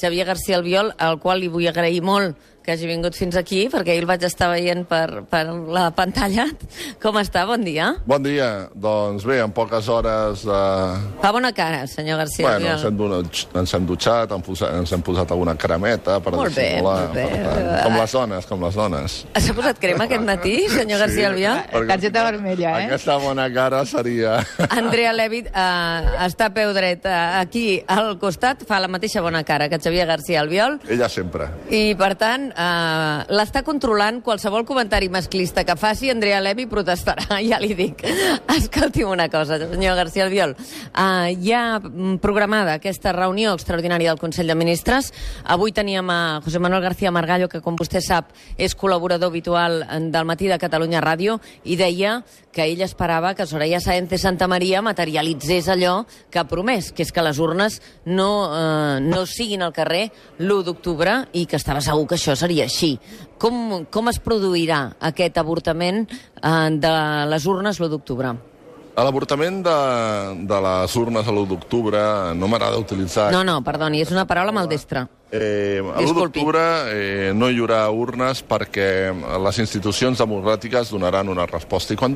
Xavier García Albiol, al qual li vull agrair molt que hagi vingut fins aquí, perquè ahir el vaig estar veient per la pantalla. Com està? Bon dia. Bon dia. Doncs bé, en poques hores... Fa bona cara, senyor García Albiol. Bueno, ens hem dutxat, ens hem posat alguna cremeta per dissimular. Molt bé. Com les dones. S'ha posat crema aquest matí, senyor García Albiol? Targeta vermella, Aquesta bona cara seria... Andrea Levy està a peu dret aquí al costat, fa la mateixa bona cara que Xavier García Albiol. Ella sempre. I, per tant, l'està controlant. Qualsevol comentari masclista que faci, Andrea Levy protestarà, ja li dic. Escolti'm una cosa, senyor García Albiol. Hi ha programada aquesta reunió extraordinària del Consell de Ministres. Avui teníem a José Manuel García Margallo, que, com vostè sap, és col·laborador habitual del Matí de Catalunya Ràdio, i deia que ell esperava que Soraya Sáenz de Santamaría materialitzés allò que ha promès, que és que les urnes no siguin al carrer l'1 d'octubre, i que estava segur que això seria així. Com es produirà aquest avortament de les urnes l'1 d'octubre? L'avortament de les urnes a l'1 d'octubre no m'agrada utilitzar... No, perdoni, és una paraula maldestra. A l'1 d'octubre no hi haurà urnes perquè les institucions democràtiques donaran una resposta. I quan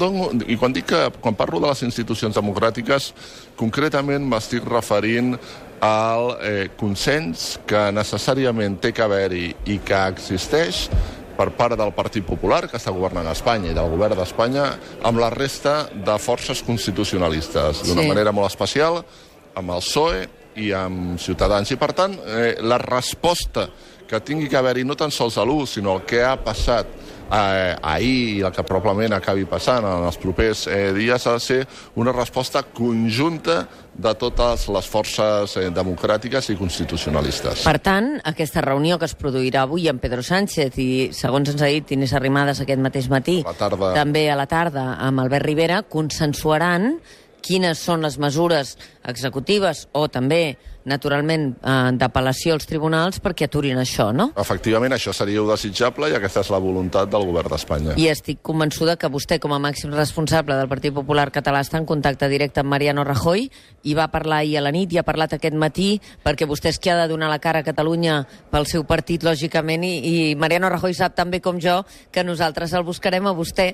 parlo de les institucions democràtiques, concretament m'estic referint al consens que necessàriament té que haver-hi i que existeix per part del Partit Popular, que està governant a Espanya, i del govern d'Espanya, amb la resta de forces constitucionalistes, d'una manera molt especial, amb el PSOE i amb Ciutadans. I, per tant, la resposta que tingui que haver-hi no tan sols a l'1, sinó el que ha passat ahir i el que probablement acabi passant en els propers dies, ha de ser una resposta conjunta de totes les forces democràtiques i constitucionalistes. Per tant, aquesta reunió que es produirà avui amb Pedro Sánchez i, segons ens ha dit Inés Arrimadas aquest mateix matí, també a la tarda amb Albert Rivera, consensuaran quines són les mesures executives o també, naturalment, d'apel·lació als tribunals perquè aturin això, no? Efectivament, això seria desitjable i aquesta és la voluntat del govern d'Espanya. I estic convençuda que vostè, com a màxim responsable del Partit Popular Català, està en contacte directe amb Mariano Rajoy i va parlar ahir a la nit i ha parlat aquest matí, perquè vostè és qui ha de donar la cara a Catalunya pel seu partit, lògicament, i Mariano Rajoy sap tan bé com jo que nosaltres el buscarem a vostè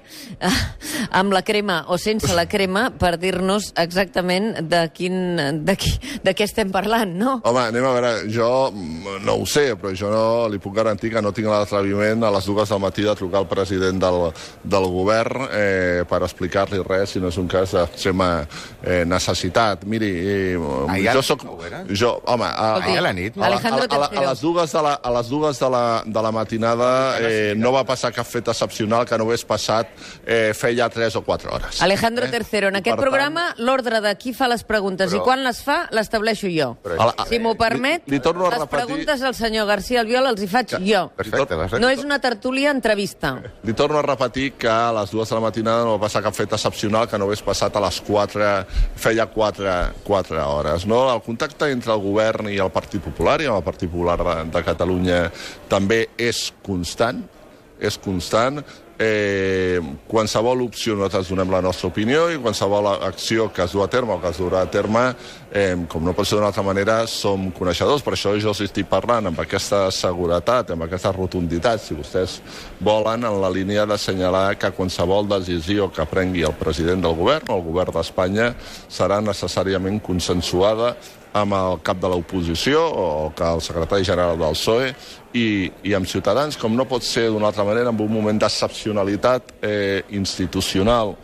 amb la crema o sense la crema per dir-nos exactament de què estem parlant, no? Home, anem a veure, jo no ho sé, però jo no li puc garantir que no tinc l'atreviment a les 2 del matí de trucar al president del govern per explicar-li res, si no és un cas d'extrema necessitat. Miri, jo soc... Home, a la nit, a les 2 de la matinada no va passar cap fet excepcional que no hagués passat feia 3 o 4 hores. Alejandro III, en aquest programa l'ordre de qui fa les preguntes i quan les fa l'estableixo jo. Si m'ho permet, les preguntes al senyor García Albiol els hi faig jo. No és una tertúlia entrevista. Li torno a repetir que a les 2 de la matinada no va passar cap fet excepcional que no hagués passat a les 4, feia 4 hores. No? El contacte entre el govern i el Partit Popular i amb el Partit Popular de Catalunya també és constant. Qualsevol opció nosaltres donem la nostra opinió i qualsevol acció que es du a terme o que es durà a terme, com no pot ser d'una altra manera, som coneixedors. Per això jo els estic parlant amb aquesta seguretat, amb aquesta rotunditat, si vostès volen, en la línia d'assenyalar que qualsevol decisió que prengui el president del govern o el govern d'Espanya serà necessàriament consensuada amb el cap de l'oposició o que el secretari general del PSOE i amb Ciutadans, com no pot ser d'una altra manera, en un moment d'excepcionalitat institucional,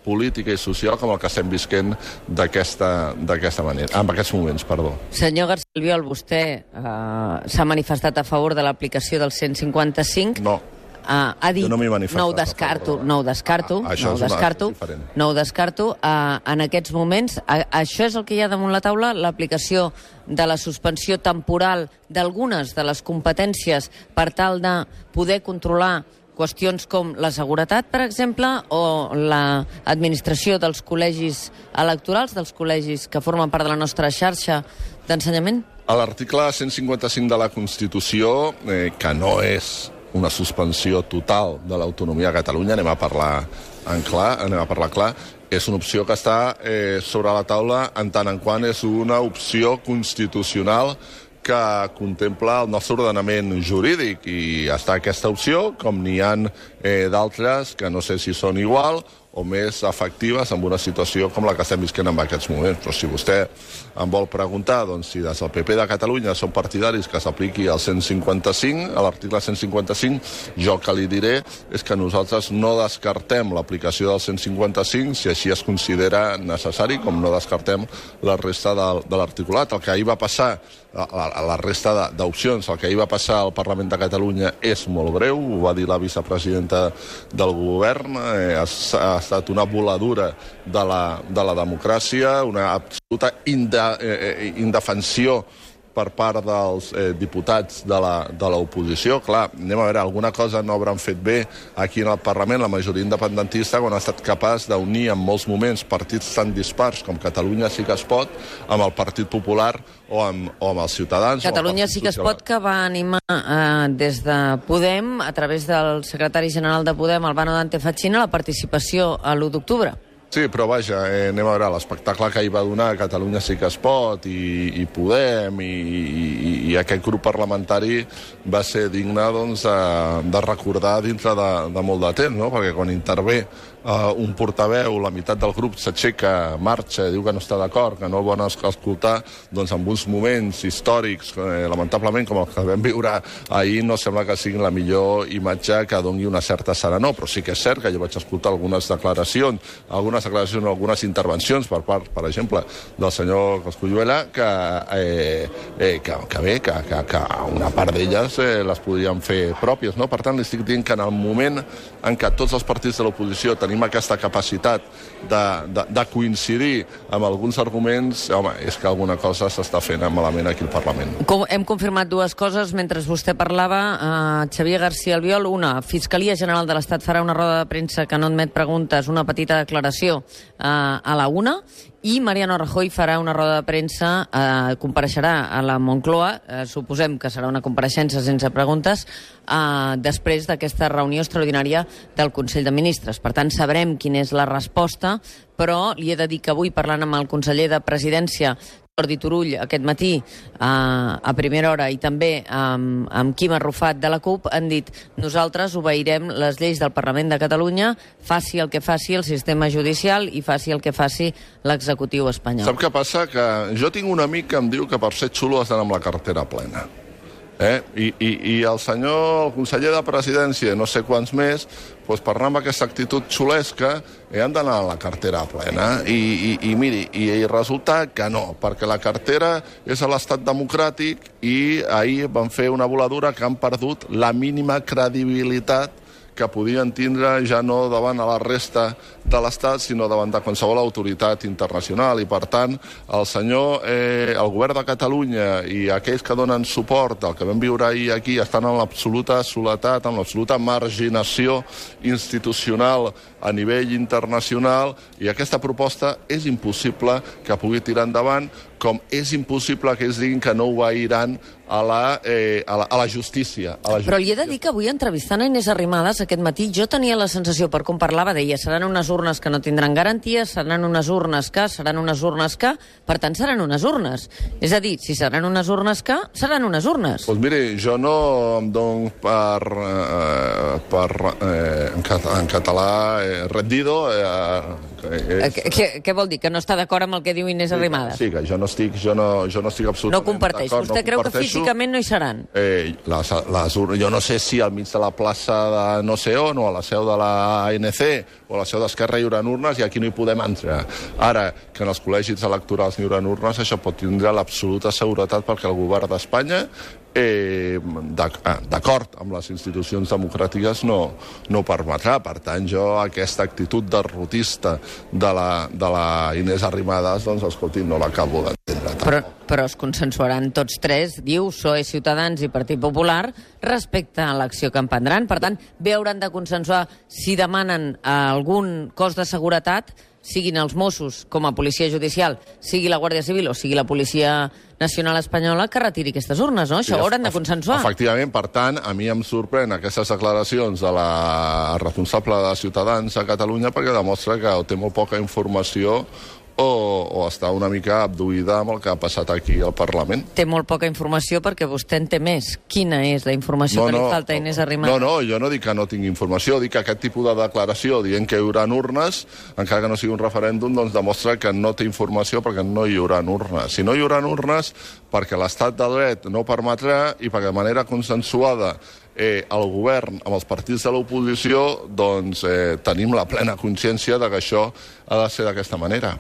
política i social com el que estem visquent d'aquesta manera, en aquests moments, perdó. Senyor García Albiol, vostè s'ha manifestat a favor de l'aplicació del 155? No. Ha dit, no m'hi manifestat. No ho descarto. En aquests moments, això és el que hi ha damunt la taula, l'aplicació de la suspensió temporal d'algunes de les competències per tal de poder controlar qüestions com la seguretat, per exemple, o l'administració dels col·legis electorals, dels col·legis que formen part de la nostra xarxa d'ensenyament? A l'article 155 de la Constitució, que no és una suspensió total de l'autonomia a Catalunya, anem a parlar clar, és una opció que està sobre la taula en tant en quant és una opció constitucional que contempla el nostre ordenament jurídic, i està aquesta opció, com n'hi ha d'altres que no sé si són igual o més efectives en una situació com la que estem visquent en aquests moments. Però si vostè em vol preguntar si des del PP de Catalunya són partidaris que s'apliqui al 155, a l'article 155, jo que li diré és que nosaltres no descartem l'aplicació del 155 si així es considera necessari, com no descartem la resta de l'articulat. El que ahir va passar, la resta d'opcions, el que ahir va passar al Parlament de Catalunya és molt greu, ho va dir la vicepresidenta del govern, ha estat una voladura de la democràcia, una absoluta indefensió per part dels diputats de l'oposició. Clar, anem a veure, alguna cosa no hauran fet bé aquí en el Parlament, la majoria independentista, quan ha estat capaç d'unir en molts moments partits tan dispars com Catalunya Sí que es pot, amb el Partit Popular o amb els Ciutadans. Catalunya Sí que es pot, que va animar des de Podem, a través del secretari general de Podem, Albano Dante Fachin, a la participació a l'1 d'octubre. Sí, però vaja, anem a veure, l'espectacle que hi va donar Catalunya Sí que es pot i Podem i aquest grup parlamentari va ser digne de recordar dintre de molt de temps, no? Perquè quan intervé un portaveu, la meitat del grup s'aixeca, marxa, diu que no està d'acord, que no el volen escoltar, doncs en uns moments històrics, lamentablement, com el que vam viure ahir, no sembla que sigui la millor imatge que doni una certa serenor, però sí que és cert que jo vaig escoltar algunes declaracions, algunes intervencions per part, per exemple, del senyor Cosculluela, que una part d'elles les podríem fer pròpies, no? Per tant, li estic dient que en el moment en què tots els partits de l'oposició tenim aquesta capacitat de coincidir amb alguns arguments, home, és que alguna cosa s'està fent malament aquí al Parlament. Hem confirmat dues coses mentre vostè parlava. Xavier García Albiol, una, Fiscalia General de l'Estat farà una roda de premsa que no admet preguntes, una petita declaració a la 1, i Mariano Rajoy farà una roda de premsa, compareixerà a la Moncloa, suposem que serà una compareixença sense preguntes, després d'aquesta reunió extraordinària del Consell de Ministres. Per tant, sabrem quina és la resposta, però li he de dir que avui, parlant amb el conseller de Presidència, Jordi Turull, aquest matí, a primera hora, i també amb Quim Arrufat de la CUP, han dit: nosaltres obeirem les lleis del Parlament de Catalunya, faci el que faci el sistema judicial i faci el que faci l'executiu espanyol. Sap què passa? Que jo tinc un amic que em diu que per ser xulo has d'anar amb la cartera plena. I el senyor, el conseller de Presidència, no sé quants més, doncs per anar amb aquesta actitud xulesca han d'anar a la cartera plena. I miri, i resulta que no, perquè la cartera és a l'estat democràtic i ahir van fer una voladura que han perdut la mínima credibilitat que podien tindre ja no davant a la resta de l'Estat, sinó davant de qualsevol autoritat internacional. I, per tant, el govern de Catalunya i aquells que donen suport al que vam viure ahir aquí estan en l'absoluta soledat, en l'absoluta marginació institucional a nivell internacional, i aquesta proposta és impossible que pugui tirar endavant, com és impossible que ells diguin que no obeiran a la justícia. Però li he de dir que avui, entrevistant a Inés Arrimadas aquest matí, jo tenia la sensació, per com parlava, deia, seran unes urnes que no tindran garanties, seran unes urnes que, per tant seran unes urnes. És a dir, si seran unes urnes que, seran unes urnes. Doncs miri, jo no em dono en català rendido. Què vol dir? Que no està d'acord amb el que diu Inés Arrimadas? Sí, que jo no estic absolutament no comparteix. Vostè creu que físicament no hi seran? Jo no sé si al mig de la plaça de no sé on, o a la seu de la ANC, o a la seu d'Esquerra hi haurà urnes, i aquí no hi podem entrar. Ara, que en els col·legis electorals hi haurà urnes, això pot tindre l'absoluta seguretat, perquè el govern d'Espanya, d'acord amb les institucions democràtiques, no ho permetrà. Per tant, jo aquesta actitud derrotista de la Inés Arrimadas, doncs, escolti, no l'acabo d'entendre. Però es consensuaran tots tres, diu, PSOE, Ciutadans i Partit Popular, respecte a l'acció que emprendran. Per tant, bé hauran de consensuar si demanen algun cos de seguretat, siguin els Mossos com a policia judicial, sigui la Guàrdia Civil o sigui la Policia Nacional Espanyola, que retiri aquestes urnes, no? Això ho hauran de consensuar. Efectivament, per tant, a mi em sorprèn aquestes declaracions de la responsable de Ciutadans a Catalunya, perquè demostra que té molt poca informació o està una mica abduïda amb el que ha passat aquí al Parlament. Té molt poca informació perquè vostè en té més. Quina és la informació que li falta a Inés Arrimadas? No, jo no dic que no tingui informació, dic que aquest tipus de declaració dient que hi haurà urnes, encara que no sigui un referèndum, doncs demostra que no té informació perquè no hi haurà urnes. Si no hi haurà urnes, perquè l'estat de dret no ho permetrà i perquè de manera consensuada el govern amb els partits de l'oposició doncs tenim la plena consciència de que això ha de ser d'aquesta manera.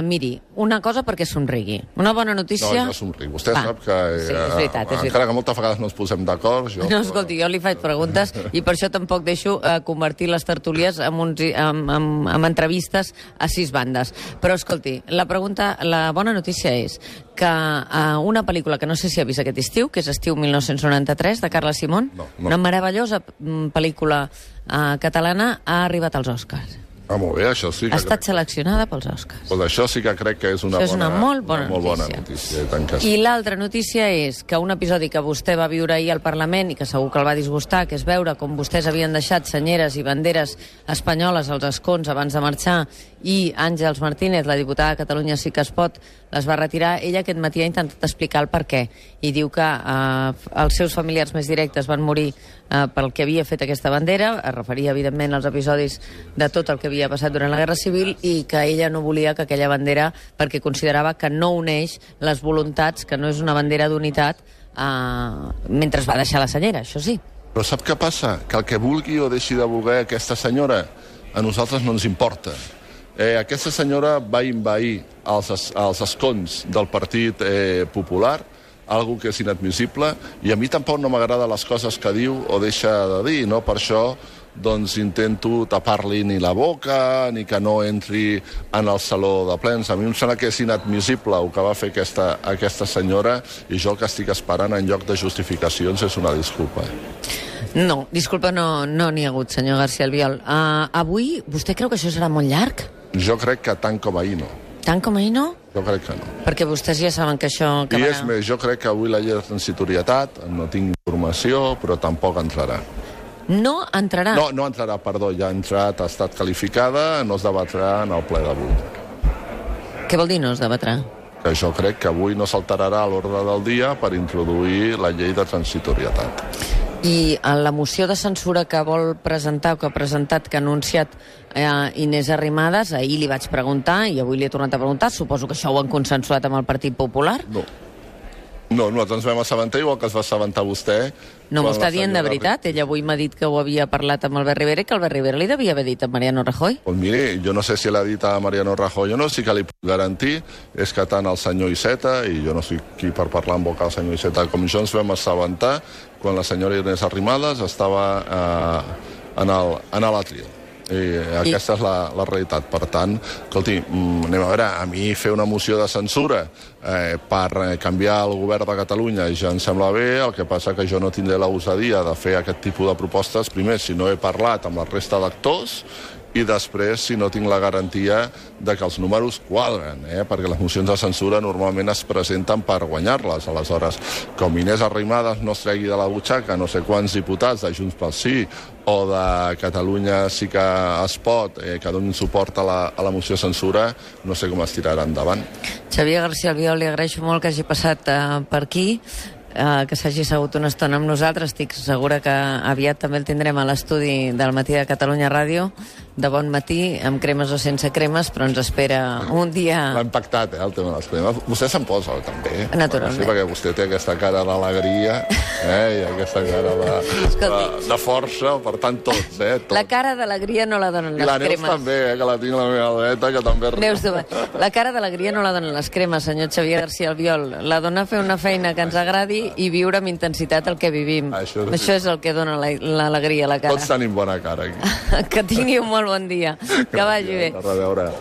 Miri, una cosa perquè somrigui. Una bona notícia... No, jo somric. Vostè sap que sí, és veritat. Encara que moltes vegades no ens posem d'acord... No, escolti, jo li faig preguntes i per això tampoc deixo convertir les tertúlies en entrevistes a 6 bandes. Però, escolti, la bona notícia és que una pel·lícula que no sé si ha vist aquest estiu, que és Estiu 1993, de Carla Simón, una meravellosa pel·lícula catalana, ha arribat als Oscars. Molt bé, això sí que... Ha estat seleccionada pels Oscars. Doncs això sí que crec que és una molt bona notícia. I l'altra notícia és que un episodi que vostè va viure ahir al Parlament i que segur que el va disgustar, que és veure com vostès havien deixat senyeres i banderes espanyoles als escons abans de marxar i Àngels Martínez, la diputada de Catalunya Sí que es pot, les va retirar. Ella aquest matí ha intentat explicar el per què i diu que els seus familiars més directes van morir pel que havia fet aquesta bandera, es referia evidentment als episodis de tot el que havia passat durant la Guerra Civil i que ella no volia que aquella bandera, perquè considerava que no uneix les voluntats, que no és una bandera d'unitat, mentre es va deixar la senyera, això sí. Però sap què passa? Que el que vulgui o deixi de voler aquesta senyora a nosaltres no ens importa. Aquesta senyora va envair els escons del Partit Popular, algo que és inadmissible, i a mi tampoc no m'agrada les coses que diu o deixa de dir, no? Per això doncs intento tapar-li ni la boca, ni que no entri en el saló de plens. A mi em sembla que és inadmissible el que va fer aquesta senyora, i jo el que estic esperant en lloc de justificacions és una disculpa. No, disculpa, no n'hi ha hagut, senyor García Albiol. Avui, vostè creu que això serà molt llarg? Jo crec que tant com ahir no. Tant com ahir no? Jo crec que no. Perquè vostès ja saben que això... I és més, jo crec que avui la llei de transitorietat, no tinc informació, però tampoc entrarà. No entrarà? No entrarà, perdó, ja ha entrat, ha estat qualificada, no es debatrà en el ple d'avui. Què vol dir no es debatrà? Que jo crec que avui no s'alterarà l'ordre del dia per introduir la llei de transitorietat. I la moció de censura que vol presentar, o que ha presentat, que ha anunciat Inés Arrimadas, ahir li vaig preguntar i avui li he tornat a preguntar, suposo que això ho han consensuat amb el Partit Popular? No, nosaltres ens vam assabentar igual que es va assabentar vostè. No m'ho està dient de veritat? Ella avui m'ha dit que ho havia parlat amb Albert Rivera i que Albert Rivera li devia haver dit a Mariano Rajoy. Doncs miri, jo no sé si l'ha dit a Mariano Rajoy o no, sí que li puc garantir és que tant el senyor Iceta, i jo no soc qui per parlar en boca del senyor Iceta, com jo ens vam assabentar quan la senyora Inés Arrimadas estava en l'Atril. Aquesta és la realitat. Per tant, escolti, anem a veure, a mi fer una moció de censura per canviar el govern de Catalunya ja em sembla bé, el que passa que jo no tindré la gosadia de fer aquest tipus de propostes, primer, si no he parlat amb la resta d'actors, i després si no tinc la garantia de que els números quadren, perquè les mocions de censura normalment es presenten per guanyar-les. Aleshores, com Inés Arrimadas no es tregui de la butxaca no sé quants diputats de Junts pel Sí o de Catalunya Sí que es pot, que donin suport a la moció de censura, no sé com es tirarà endavant. Xavier García Albiol, li agraeixo molt que hagi passat per aquí, que s'hagi assegut una estona amb nosaltres. Estic segura que aviat també el tindrem a l'estudi del Matí de Catalunya Ràdio, de bon matí, amb cremes o sense cremes, però ens espera un dia... L'ha impactat, el tema de les cremes. Vostè se'n posa, també. Naturalment. Sí, perquè vostè té aquesta cara d'alegria, i aquesta cara de força, per tant, tots, tots. La cara d'alegria no la donen les cremes. I la Neus també, que la tinc a la meva dreta, que també... Neus, la cara d'alegria no la donen les cremes, senyor Xavier García Albiol. La dona fer una feina que ens agradi i viure amb intensitat el que vivim. Això és el que dona l'alegria a la cara. Tots tenim bona cara aquí. Que tingui un molt bon dia. Que vagi bé. A reveure.